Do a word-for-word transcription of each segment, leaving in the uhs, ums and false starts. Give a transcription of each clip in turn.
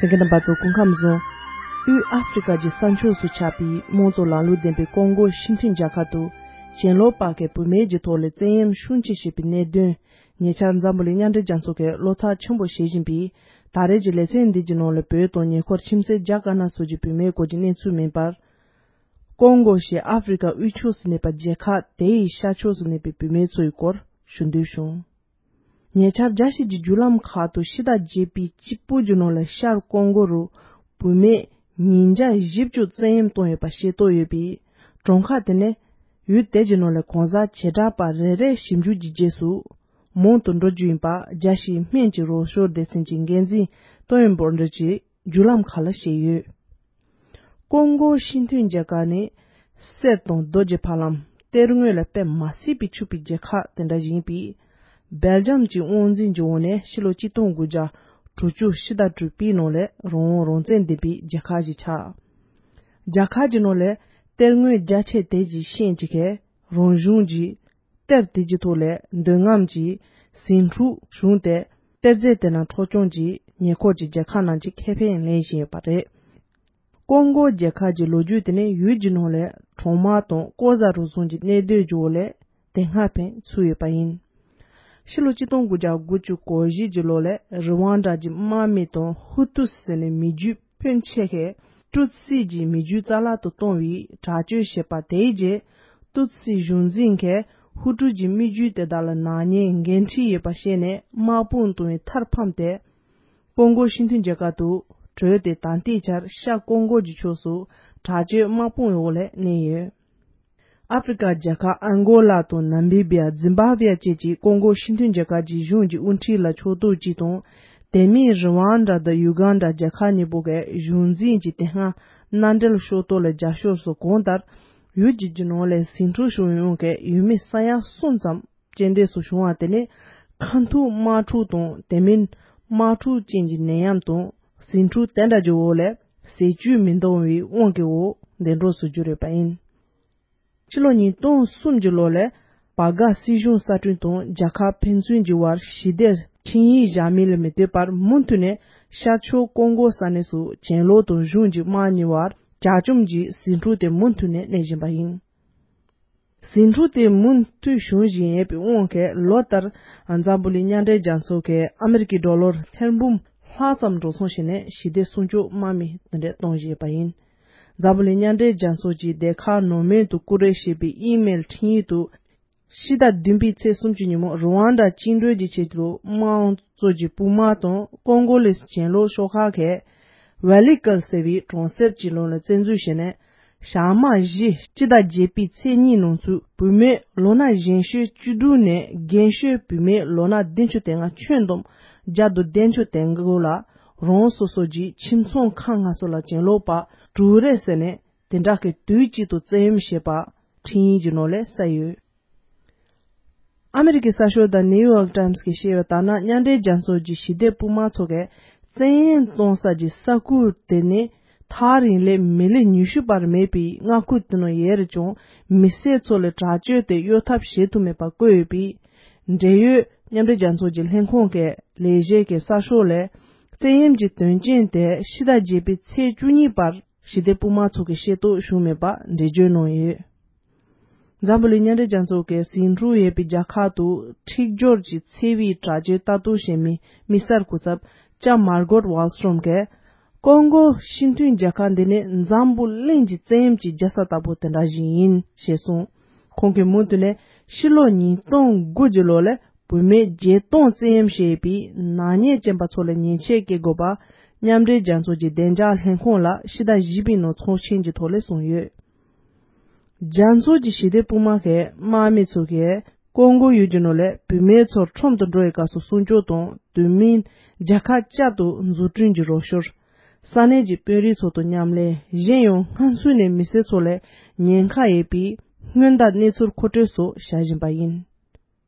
དེ་ག་རྣམ་པ་ཚོ་སྐུ་ཁམས་བཟང་། དབུས་ཨ་ཧྥེ་རི་ཀ་གི་ས་ཕྱོགས་སུ་ཆགས་པའི་དམངས་གཙོ་ལམ་ལུགས་ལྡན་པའི་ཀོང་ཀོ་སྤྱི་མཐུན་རྒྱལ་ཁབ་ཏུ་གྱེན་ལོག་པ་གིས་བུད་མེད་ཀྱི་ཐོག་ལ་བཙན་གཡེམ་ཤུགས་ཆེ་བྱས་པའི་གནད་དོན། ཉེ་ཆར་འཛམ་བུ་གླིང་མཉམ་འབྲེལ་རྒྱལ་ཚོགས་ཀྱིས་བློ་འཚབ་ཆེན་པོ་བྱེད་བཞིན་པའི་ད་རེས་ཀྱི་ལེ་ཚན་འདི་གི་ནང་ལ་བོད་དང་ཉེ་འཁོར་ཁྱིམ་མཚེས་རྒྱ་དཀར་ནག་སོགས་ཀྱི་བུད་མེད་སྐོར་གྱི་གནས་ཚུལ་མིན་པར། ཀོང་ཀོ་ཞེས་ཨ་ཧྥེ་རི་ཀ་དབུས་ཕྱོགས་སུ་གནས་པ་རྒྱལ་ཁབ་དེའི་ཤར་ཕྱོགས་སུ་གནས་པའི་བུད་མེད་ཚོའི་སྐོར་ཞུ་འདོད་བྱུང་། ཉེ་ཆར་རྒྱལ་སྤྱིའི་བརྒྱུད་ལམ་ཁག་ཏུ་ཕྱི་ཟླ་བརྒྱད་པའི་གཅིག་པོ་གྱི་ནང་ལ་ཤར་ཀོང་ཀོ་རུ་བུད་མེད་ཉིས་བརྒྱ་བཞི་བཅུ་བཙན་གཡེམ་བཏང་ཡོད་པ་ཤེས་རྟོགས་ཡོད་པས། གྲངས་ཀ་དེ་ནི་ཡུལ་དེ་གྱི་ནང་ལ་གང་ཟག་བྱེ་བྲག་པ་རེ་རེའི་ཞིབ་འཇུག་གི་རྗེས་སུ། མང་དུ་འགྲོ་རྒྱུ་ཡིན་པ་རྒྱལ་སྤྱིའི་སྨན་གྱི་རོགས་སྐྱོར་སྡེ་ཚན་གྱི་འགན་འཛིན་ཏོན་བོར་འདི་གྱིས་བརྒྱུད་ལམ་ཁག་ལ་བཤད་ཡོད། ཀོང་ཀོ་སྤྱི་མཐུན་རྒྱལ་ཁབ་ནི་གསེར་དང་རྡོ་རྗེ་ཕ་ལམ་གཏེར་དངོས་ལ་དཔེ་མ་སྲིད་པའི་ཕྱུག་པའི་རྒྱལ་ཁབ་དེ་འདྲ་ཞིག་ཡིན་པས། སྦེལ་ཇམ་གྱི་དབང་འཛིན་གྱི་འོག་ནས་ཕྱི་ལོ་གཅིག་སྟོང་དགུ་བརྒྱ་དྲུག་ཅུ་ཕྱི་ཟླ་དྲུག་པའི་ནང་ལ་རང་དབང་རང་བཙན་ལྡན་པའི་རྒྱལ་ཁབ་ཞིག་ཆགས། རྒྱལ་ཁབ་ཀྱི་ནང་ལ་གཏེར་དངོས་རྒྱ་ཆེ་དེ་གྱི་ཤན་གྱི་ཁའི་རང་གཞུང་གི་གཏེར་དེ་གྱི་ཐོག་ལས་འདོད་རྔམ་གྱི་ཟིང་འཁྲུག་བྱུང་སྟེ། གཏེར་རྫས་དེ་རྣམས་འཕྲོག་བཅོམ་གྱིས་ཉེ་འཁོར་གྱི་རྒྱལ་ཁབ་རྣམས་ཀྱི་ཁེ་ཕན་ལེན་བཞིན་ཡོད་པ་རེད། ཀོང་ཀོ་རྒྱལ་ཁབ་ཀྱི་ལོ་རྒྱུས་དེ་ནི་ཡུལ་གྱི་ནང་ལས་གྲོག་མ་དང་ལྐོག་ཟ་རུ་སོང་གྱི་གནས་སྡོད་ཀྱི་འོག་ལས་དེ་སྔ་ཕན་ཚུན་ཡོད་པ་ཡིན། ཕྱི་ལོ་གཅིག་སྟོང་དགུ་བརྒྱ་དགུ་བཅུ་གོ་བཞི་གྱི་ལོ་ལས་རི་ཝང་ཌ་གྱི་དམག་མི་དང་ཧུ་ཏུ་ཟེར་ནས་མི་རྒྱུད་ཕོན་ཆེ་ཁས་ཏུ་སི་གྱི་མི་རྒྱུད་རྩ་བརླག་ཏུ་གཏོང་བའི་དྲག་སྤྱོད་བྱས་པ་དེའི་རྗེས། ཏུ་སི་གཞུང་འཛིན་གྱིས་ཧུ་ཀྲུ་གྱི་མི་རྒྱུད་དེ་དག་ལ་ནག་ཉེས་འགན་འཁྲི་ཡོད་པ་ཤེས་ནས་དམག་དཔུང་བཏང་བའི་མཐར་ཕམ་སྟེ། ཀོང་ཀོ་སྤྱི་མཐུན་རྒྱལ་ཁབ་ཏུ་བྲོས་ཏེ་ད་ལྟའི་ཆར་ཤར་ཀོང་ཀོ་གྱི་ཕྱོགས་སུ་དྲག་སྤྱོད་དམག་དཔུང་འོག་ལ་གནས་ཡོད། ཨ་ཧྥེ་རི་ཀ་རྒྱལ་ཁབ་ཨན་གོ་ལ་དང་ནམ་བི་བི་ཡ། ཛིམ་བྷ་བྷེ་བཅས་ཀྱིས་ཀོང་ཀོ་སྤྱི་མཐུན་རྒྱལ་ཁབ་ཀྱི་གཞུང་གི་དབུ་ཁྲིད་ལ་ཕྱོགས་གཏོགས་ཀྱིས་དང་། དེ་མིན་རི་ཝང་ཌ་དང་ཡུ་གན་ཌ་རྒྱལ་ཁབ་གཉིས་པོ་གའི་གཞུང་འཛིན་གྱི་དེ་སྔ་མནའ་འབྲེལ་ཕྱོགས་གཏོགས་ལ་རྒྱབ་སྐྱོར་སོགས་གང་ལྟར། ཡུལ་གྱི་རྒྱུ་ནོར་ལས་ཟིང་འཁྲུག་བྱུང་ཡོང་གི་ཡུལ་མི་ས་ཡ་གསུམ་ཙམ་རྐྱེན་འདས་སུ་བྱུང་བ་དེ་ནི་ཁ་ཐུག་དམག་འཁྲུག་དང་དེ་མིན་དམག་འཁྲུག་ཅན་གྱི་ནད་ཡམས་དང་ཟིང་འཁྲུག་དེ་འདྲ་གྱི་འོག་ལས་ཟས་བཅུད་མི་འདང་བའི་དབང་གི་འོག་འདས་འགྲོ་སོང་རྒྱུ་རེད་པ་ཡིན། ཕྱི་ལོ་ཉིས་སྟོང་གསུམ་གྱི་ལོ་ལས་བར་ག་སྲིད་གཞུང་གསར་སྐྲུན་དང་རྒྱལ་ཁབ་ཕན་ཚུན་གྱི་བར་ཞི་བདེ་ཆིངས་ཡིག་བཞག་མིན་ལ་མི་ལྟོས་པར་མུ་མཐུད་ནས་ཤར་ཕྱོགས་ཀོང་ཀོ་ས་གནས་སུ་གྱེན་ལོག་དང་གཞུང་གི་དམག་གཉིས་བར་ཇག་བཅོམ་གྱི་ཟིང་འཁྲུག་དེ་མུ་མཐུད་ནས་གནས་བཞིན་པ་ཡིན། ཟིང་འཁྲུག་དེ་མུ་མཐུད་བྱུང་བཞིན་ཡོད་པའི་དབང་གིས་ལོ་ལྟར་འཛམ་བུ་གླིང་མཉམ་འབྲེལ་རྒྱལ་ཚོགས་ཀྱིས་ཨ་མེ་རི་ཀའི་ཌོ་ལར་ཐེར་འབུམ་ལྷག་ཙམ་འགྲོ་སོང་བྱས་ནས་ཞི་བདེ་སྲུང་སྐྱོབ་དམག་མི་དེ་འདྲ་གཏོང་བཞིན་ཡོད་པ་ཡིན། འཛམ་བུ་གླིང་མཉམ་འབྲེལ་རྒྱལ་ཚོགས་ཀྱི་སྡེ་ཁག་ནང་མོལ་དུ་བཀོད་སྒྲིག་བྱས་པའི་ཨི་མེལ་འཕྲིན་ཡིག་ཏུ། ཕྱི་ཟླ་བདུན་པའི་ཚེས་སུམ་ཅུ་ཉིན་མོ་རུ་ཝང་ཌ་བཅིངས་འགྲོལ་གྱི་ཆེད་དུ་དམངས་གཙོ་གྱི་དཔུང་དམག་དང་ཀོང་ཀོ་ལིས་གྱེན་ལོག་ཤོག་ཁག་གིས་ཝེ་ལི་ཀལ་ཟེར་བའི་གྲོང་གསེབ་ཀྱི་ནང་ལ་བཙན་འཛུལ་བྱས་ནས། ཞག་མ་བཞི་སྤྱི་ཟླ་བརྒྱད་པའི་ཚེས་གཉིས་ནང་ཚུད་བུད་མེད་ལོ་ན་གཞོན་ཤོས་བཅུ་དྲུག་ནས་རྒན་ཤོས་བུད་མེད་ལོ་ན་བདུན་ཅུ་དོན་ལྔ་ཁྱོན་བསྡོམས་བརྒྱ་དང་བདུན་ཅུ་དོན་དགུ་ལ་རང་སོ་སོ་གྱི་ཁྱིམ་ཚང་ཁག་ལྔ་སོགས་ལ་གྱེན་ལོག་པ་དྲུག་རེད་ཟེར་ནས། དེ་འདྲ་གི་དུས་གཅིག་ཏུ་བཙན་གཡེམ་བྱས་པ་འཕྲིན་ཡིག་གི་ནང་ལ་གསལ་ཡོད། ཨ་མེ་རི་ཀའི་གསར་ཤོག་The New York Times གིས་བཤད་པ་ལྟར་ན། མཉམ་འབྲེལ་རྒྱལ་ཚོགས་ཀྱི་ཞི་བདེ་དཔུང་དམག་ཚོ་གིས་བཙན་གཡེམ་གཏོང་ས་ཀྱི་ས་ཁུལ་དེ་ནི་ཐག་རིང་ལས་མི་ལེ་ཉི་ཤུ་བར་མེད་པའི་མངའ་ཁུལ་དེ་ནང་ཡོད་རེད་ཀྱང་། མི་སེར་ཚོ་ལ་དྲག་སྤྱོད་དེ་གཡོལ་ཐབས་བྱེད་ཐུབ་མེད་པ་བཀོད་ཡོད་པས། འབྲེལ་ཡོད་མཉམ་འབྲེལ་རྒྱལ་ཚོགས་ཀྱི་ལྷན་ཁང་གི་ལས་བྱེད་ཀྱིས་གསར་ཤོག་ལ། བཙན་གཡེམ་གྱི་དོན་རྐྱེན་དེ་ཕྱི་ཟླ་བརྒྱད་པའི་ཚེས་བཅུ་གཉིས་བར། ཞི་བདེ་དཔུང་དམག་ཚོ་གིས་ཤེས་རྟོགས་བྱུང་མེད་པ་འགྲེལ་བརྗོད་གནང་ཡོད། འཛམ་བུ་གླིང་མཉམ་འབྲེལ་རྒྱལ་ཚོགས་ཀྱི་ཟིང་འཁྲུག་ཡོད་པའི་རྒྱལ་ཁག་ཏུ་འཁྲིག་སྦྱོར་གྱི་འཚེ་བའི་དྲག་སྤྱོད་ལྟ་རྟོག་བྱེད་མི་དམིགས་བསལ་སྐུ་ཚབ་ལྕམ་མར་གོཊ་ཝལ་སི་ཊོམ་གྱིས། ཀོང་ཀོ་སྤྱི་མཐུན་རྒྱལ་ཁབ་འདི་ནི་འཛམ་བུ་གླིང་གི་བཙན་གཡེམ་གྱི་རྒྱལ་ས་ལྟ་བུ་དེ་འདྲ་ཞིག་ཡིན་ཞེས་གསུངས། ཁོང་གིས་མུ་མཐུད་ནས་ཕྱི་ལོ་ཉིས་སྟོང་དགུ་གི་ལོ་ལ། བུད་མེད་བརྒྱད་སྟོང་བཙན་གཡེམ་བྱས་པའི་ནག་ཉེས་ཅན་པ་ཚོ་ལ་ཉེས་ཆད་བཀལ་དགོས་པ། མཉམ་འབྲེལ་རྒྱལ་ཚོགས་ཀྱི་བདེ་འཇགས་ལྷན་ཁང་ལ་ཕྱི་ཟླ་བཞི་པའི་ནང་ཚོགས་ཆེན་གྱི་ཐོག་ལ་གསུངས་ཡོད། རྒྱལ་ཚོགས་ཀྱི་ཞི་བདེ་དཔུང་དམག་གི་དམག་མི་ཚོ་གིས་ཀོང་ཀོ་ཡུལ་གྱི་ནང་ལ་བུད་མེད་ཚོར་ཁྲིམས་དང་འགྲོ་བའི་སྐབས་སུ་སྲུང་སྐྱོབ་དང་། དེ་མིན་རྒྱལ་ཁབ་བསྐྱར་དུ་འཛུགས་སྐྲུན་གྱི་རོགས་སྐྱོར། ས་གནས་ཀྱི་དཔོན་རིགས་ཚོ་དང་མཉམ་ལས། གཞན་ཡང་སྔ་ཚུད་ནས་མི་སེར་ཚོ་ལ་ཉེན་ཁ་ཡོད་པའི་སྔོན་བརྡ་གནས་ཚུལ་མཁོ་སྤྲོད་སོགས་བྱ་བཞིན་པ་ཡིན།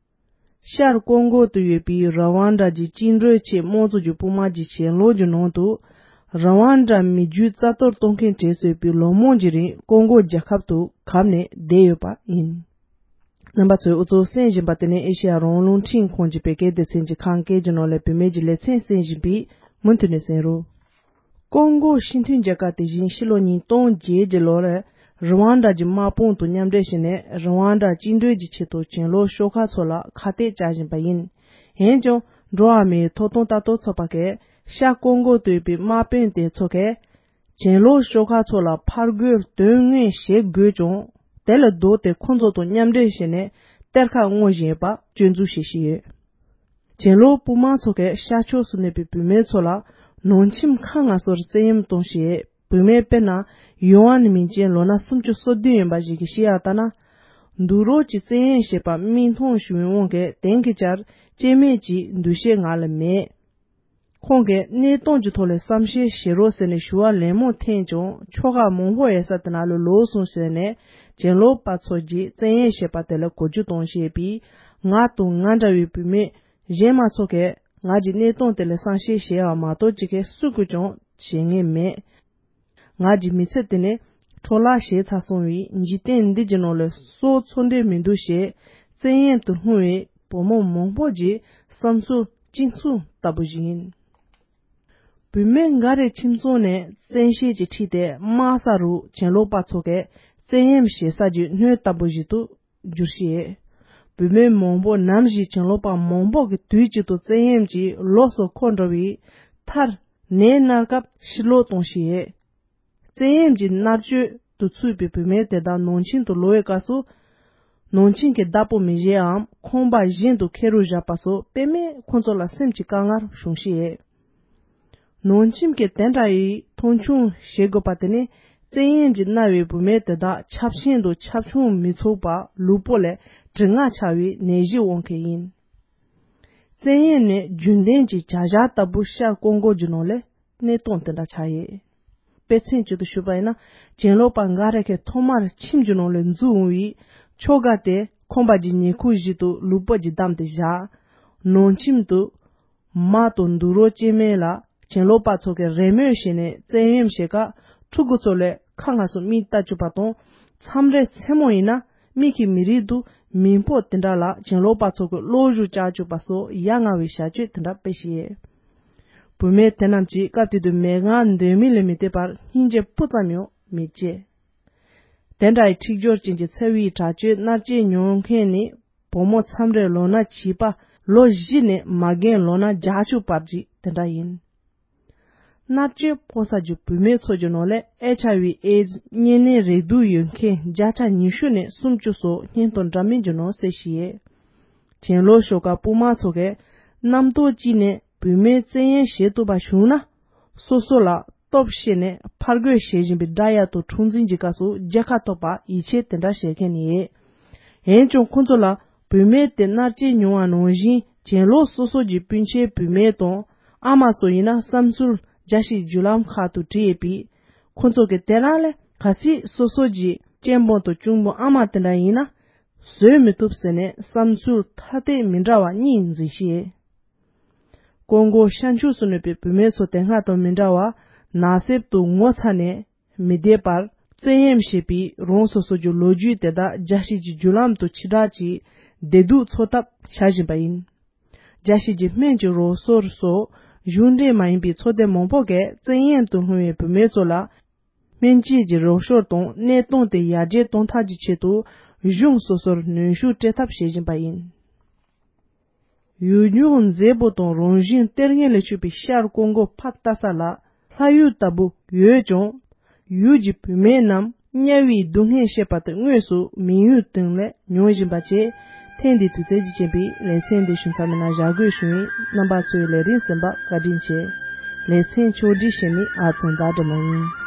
ཤར་ཀོང་ཀོ་དུ་ཡོད་པའི་ར་ཝང་ཌ་གྱི་བཅིངས་འགྲོལ་ཆེད་དམངས་གཙོ་གྱི་དཔུང་དམག་གི་གྱེན་ལོག་གི་ནང་དུ། ར་ཝང་ཌ་མི་རྒྱུད་རྩ་གཏོར་གཏོང་མཁན་གྲས་སུ་ཡོད་པའི་ལོ་མང་གི་རིང་ཀོང་ཀོ་རྒྱལ་ཁབ་ཏུ་གབ་ནས་བསྡད་ཡོད་པ་ཡིན། རྣམ་པ་ཚོས་འུ་ཚོ་གསན་བཞིན་པ་དེ་ནི་ཨེ་ཤེ་ཡ་རང་དབང་རླུང་འཕྲིན་ཁང་གི་བོད་སྐད་སྡེ་ཚན་གྱི་ཁམས་སྐད་ཀྱི་ནང་ལས་བུད་མེད་ཀྱི་ལེ་ཚན་གསན་བཞིན་པས། མུ་མཐུད་ནས་གསན་རོགས། ཀོང་གོ་སྤྱི་མཐུན་རྒྱལ་ཁབ་དེ་བཞིན་ཕྱི་ལོ་ཉིས་སྟོང་བརྒྱད་ཀྱི་ལོར་རུ་ཝང་ཌ་གྱི་དམག་དཔུང་དང་མཉམ་འབྲེལ་བྱས་ནས་རུ་ཝང་ཌ་བཅིངས་འགྲོལ་གྱི་ཆེད་དུ་གྱེན་ལོག་ཤོག་ཁག་ཚོ་ལ་ཁ་གཏད་བཅག་བཞིན་པ་ཡིན། འོན་ཀྱང་འགྲོ་བ་མིའི་ཐོབ་ཐང་ལྟ་རྟོག་ཚོགས་པ་གིས་ཤར་ཀོང་གོ་སྡོད་པའི་དམག་དཔོན་དེ་ཚོ་གིས་གྱེན་ལོག་ཤོག་ཁག་ཚོ་ལ་ཕར་རྒོལ་དོན་དངོས་བྱེད་དགོས་ཀྱང་། དེ་ལས་ལྡོག་སྟེ་ཁོང་ཚོ་དང་མཉམ་འབྲེལ་བྱས་ནས་གཏེར་ཁ་སྔོག་བཞིན་ཡོད་པ་སྐྱོན་འཛུགས་བྱེད་བཞིན་ཡོད། གྱེན་ལོག་དཔུང་དམག་ཚོ་གིས་ཤར་ཕྱོགས་སུ་གནས་པའི་བུད་མེད་ཚོ་ལ་ནང་ཁྱིམ་ཁག་སྔ་སོར་བཙན་གཡེམ་གཏོང་བཞིན་ཡོད། བུད་མེད་དཔེར་ན་ཡུའུ་ཨན་མིང་ཅན་ལོ་ན་སུམ་ཅུ་སོ་བདུན་ཡིན་པ་ཞིག་གིས་བཤད་ཡག་ལྟར་ན། འདུག་རོགས་ཀྱི་བཙན་གཡེམ་བྱས་པ་མིག་མཐོང་བྱུང་བའི་དབང་གིས་དེང་གི་ཆར་སྐྱེ་དམན་གྱི་འདུ་ཤེས་ང་ལ་མེད། ཁོང་གིས་གནས་སྟངས་ཀྱི་ཐོག་ལ་བསམ་ཤེས་བྱེད་རོགས་ཟེར་ནས་ཞུ་བ་ལན་མང་འཐེན་ཀྱང་ཆོལ་ཁ་མང་པོ་ཡོད་ས་དེ་ན་ལ་ལོག་སོང་ཟེར་ནས་གྱེན་ལོག་པ་ཚོ་གྱིས་བཙན་གཡེམ་བྱས་པ་དེ་ལ་གོ་རྒྱུ་གཏོང་བཞིན་པའི་ང་དང་ང་འདྲ་བའི་བུད་མེད་གཞན་མ་ཚོ་གིས་ང་གི་གནས་སྟངས་དེ་ལ་བསམ་ཤེས་བྱས་པ་མ་གཏོགས་ཅི་གས་སུ་གིས་ཀྱང་བྱེད་ངེས་མེད། ང་གི་མི་ཚེ་དེ་ནི་འཕྲོ་བརླག་བྱས་ཚར་སོང་བས་འཇིག་རྟེན་འདི་གི་ནང་ལ་སྲོག་འཚོ་འདོད་མི་འདུག་ཞེས་བཙན་གཡེམ་དུ་ལྷུང་བའི་བུ་མོ་མང་པོ་གྱི་བསམ་ཚུལ་གཅིག་མཚུངས་ལྟ་བུ་ཞིག་ཡིན། བུད་མེད་འགའ་རེ་ཁྱིམ་ཚང་ནས་བཙན་ཤེད་ཀྱིས་ཁྲིད་དེ་དམག་ས་རུ་གྱེན་ལོག་པ་ཚོ་གིས་བཙན་གཡེམ་བྱེད་ས་ཀྱི་སྣོད་ལྟ་བུ་ཞིག་ཏུ་འགྱུར་ཞིང་། བུད་མེད་མང་པོ་ནམ་ཞིག་གྱེན་ལོག་པ་མང་པོ་གིས་དུས་གཅིག་ཏུ་བཙན་གཡེམ་གྱིས་ལོགས་སུ་འཁོར་འགྲོ་བའི་མཐར། ནད་མནར་སྐབས་ཕྱིར་ལོག་གཏོང་ཞིང་། བཙན་གཡེམ་གྱི་མནར་གཅོད་དུ་ཚུད་པའི་བུད་མེད་དེ་དག་ནང་ཁྱིམ་དུ་ལོག་པའི་སྐབས་སུ། ནང་ཁྱིམ་གྱི་བདག་པོ་མི་བཞེངས་པའམ་ཁང་པ་གཞན་དུ་ཁྱེར་རུ་བཞག་པ་སོགས་དཔེ་མེད་ཁོང་ཚོ་ལ་སེམས་ཀྱི་དཀའ་ངལ་བྱུང་ཞིང་། ནང་ཁྱིམ་གྱིས་དེ་འདྲ་ཡི་མཐོང་ཆུང་བྱེད་དགོས་པ་དེ་ནི་བཙན་གཡེམ་གྱིས་མནར་བའི་བུད་མེད་དེ་དག་ཆབ་ཆེན་དུ་ཆབ་ཆུང་མི་ཚུགས་པར་ལུས་པོ་ལས་གྲིབ་ནག་ཆགས་པའི་ནད་གཞིའི་དབང་གིས་ཡིན། བཙན་གཡེམ་ནི་རྒྱུན་ལྡན་གྱི་བྱ་གཞག་ལྟ་བུ་ཤར་ཀོང་གོ་གི་ནང་ལ་གནས་སྟངས་དེ་འདྲ་ཆགས་ཡོད། དཔེ་མཚོན་གཅིག་ཏུ་ཞུས་པ་ཡིན་ན། གྱེན་ལོག་པ་འགའ་རེ་གིས་ཐོག་མར་ཁྱིམ་གྱི་ནང་ལ་འཛུལ་འོང་བའི་ཁྱོ་ག་དེ་ཁང་པ་གྱི་ཉེ་འཁོར་ཞིག་ཏུ་ལུས་པོ་གྱིས་བསྡམས་ཏེ་བཞག་ནང་ཁྱིམ་དུ་མ་དང་འདུག་རོགས་སྐྱེ་དམན་ལ་གྱེན་ལོག་པ་ཚོ་གིས་རེས་མོས་བྱས་ནས་བཙན་གཡེམ་བྱེད་སྐབས་ཕྲུ་གུ་ཚོ་ལ་ཁ་སྔ་སོ་མིག་ལྟ་བཅུག་པ་དང་མཚམས་རེ་མཚན་མོ་ཡིན་ན་མིག་གིས་མི་རིག་འདུག་མི་འཕོ་དེ་འདྲ་ལ་གྱེན་ལོག་པ་ཚོ་གིས་གློག་ཞུ་བཅག་བཅུག་པ་སོགས་ཡ་ང་བའི་བྱ་སྤྱོད་དེ་འདྲ་སྤེལ་བཞིན་ཡོད། བུད་མེད་དེ་རྣམས་ཀྱིས་སྐབས་དེ་དུས་མལ་ཁང་འདོད་མིན་ལས་མི་འདོད་པར་སྙིང་རྗེ་སྤུ་ཙམ་ཡང་མི་སྐྱེ། དེ་འདྲ་ཡི་འཁྲིག་སྦྱོར་ཅན་གྱི་འཚེ་བའི་དྲག་སྤྱོད་མནར་གཅོད་མྱོང་མཁན་ནི་བུ་མོ་མཚམས་རེ་ལོ་ན་བྱིས་པ་ལོ་བཞི་ནས་མ་རྒན་ལོ་ན་བརྒྱད་ཅུ་བར་གྱི་དེ་འདྲ་ཡིན། མནར་གཅོད་ཕོག་ས་ཀྱི་བུད་མེད་ཚོ་གི་ནང་ལས་ཨེཆ་ཨའི་ཝི་ཨེ་ཛི་གཉན་ནད་རེག་དུག་ཡོད་མཁན་བརྒྱ་ཆ་ཉི་ཤུ་ནས་སུམ་ཅུ་སོགས་སྙན་ཐོ་འདྲ་མིན་གྱི་ནང་གསལ་བཞིན་ཡོད། གྱེན་ལོག་ཤོག་ཁག་དཔུང་དམག་ཚོ་གིས་རྣམ་རྟོག་གཅིག་ནས་བུད་མེད་བཙན་གཡེམ་བྱེད་ཐུབ་པ་བྱུང་ན། སོ་སོ་ལ་སྟོབས་བཤད་ནས་ཕར་རྒོལ་བྱེད་བཞིན་པའི་དགྲ་ཡ་དང་འཁྲུག་འཛིང་གི་སྐབས་སུ་རྒྱལ་ཁ་ཐོབ་པར་ཡིད་ཆེས་དེ་འདྲ་བྱེད་མཁན་ནི་ཡོད། འོན་ཀྱང་ཁོང་ཚོ་ལ་བུད་མེད་དེ་མནར་གཅོད་མྱོང་བ་ནང་བཞིན་གྱེན་ལོག་སོ་སོ་གྱི་སྤུན་མཆེད་བུད་མེད་དང་ཨ་མ་སོགས་ཡིན་ན་བསམ་ཚུལ་རྒྱལ་སྤྱིའི་བརྒྱུད་ལམ་ཁག་ཏུ་བྲིས་ཡོད་པས། ཁོང་ཚོ་གིས་དེ་རང་ལས་གལ་སྲིད་སོ་སོ་གྱི་གཅེན་པོ་དང་གཅུང་པོ་ཨ་མ་དེ་འདྲ་ཡིན་ན་བཟོད་མི་ཐུབ་ཟེར་ནས་བསམ་ཚུལ་ཐ་དད་མི་འདྲ་བ་གཉིས་འཛིན་བཞིན། ཀོང་གོ་ཤར་ཕྱོགས་སུ་གནས་པའི་བུད་མེད་ཚོ་དེ་སྔ་དང་མི་འདྲ་བར་ནགས་གསེབ་ཏུ་ངོ་ཚ་ནས་མི་བསྡད་པར་བཙན་གཡེམ་བྱེད་པའི་རང་སོ་སོ་གྱི་ལོ་རྒྱུས་དེ་དག་རྒྱལ་སྤྱིའི་བརྒྱུད་ལམ་དུ་ཕྱི་བསྒྲགས་ཀྱིས་བདེ་སྡུག་འཚོ་ཐབས་བྱ་བཞིན་པ་ཡིན། རྒྱལ་སྤྱིའི་སྨན་གྱི་རོགས་སྐྱོར་སོགས་གཞུང་འབྲེལ་མ་ཡིན་པའི་ཚོགས་སྡེ་མང་པོ་གིས་བཙན་གཡེམ་དུ་ལྷུང་བའི་བུད་མེད་ཚོ་ལ་སྨན་བཅོས་ཀྱི་རོགས་སྐྱོར་དང་གནས་སྟངས་དེ་ཡར་རྒྱས་གཏོང་ཐབས་ཀྱི་ཆེད་དུ་གཞུང་སོ་སོར་གནོན་ཤུགས་སྤྲད་ཐབས་བྱེད་བཞིན་པ་ཡིན། ཡུལ་ལྗོངས་མཛེས་པོ་དང་རང་བཞིན་གཏེར་ངན་ལས་གྲུབ་པའི་ཤར་ཀོང་གོ་ཕག་ཏ་ས་ལ་ལྷ་ཡུལ་ལྟ་བུ་ཡོད་ཀྱང་། ཡུལ་གྱི་བུད་མེད་རྣམས་དམྱལ་བའི་སྡུག་བསྔལ་བཤད་པ་དེ་དངོས་སུ་མི་ཡུལ་སྟེང་ལས་མྱོང་བཞིན་པ་བཅས། ཐེངས་འདིའི་དུས་ཚོད་ཀྱིས་རྐྱེན་པས་ལེ་ཚན་འདི་ཞུ་མཚམས་མེད་ན་བཞག་དགོས་བྱུང་ཡིན། རྣམ་པ་ཚོས་ལས་རིམ་གསན་པར་བཀའ་དྲིན་ཆེ། ལེ་ཚན་ཕྱོགས་སྒྲིག་བྱེད་མི་ཨ་ཚང་ཟླ་སྒྲོལ་མ་ཡིན།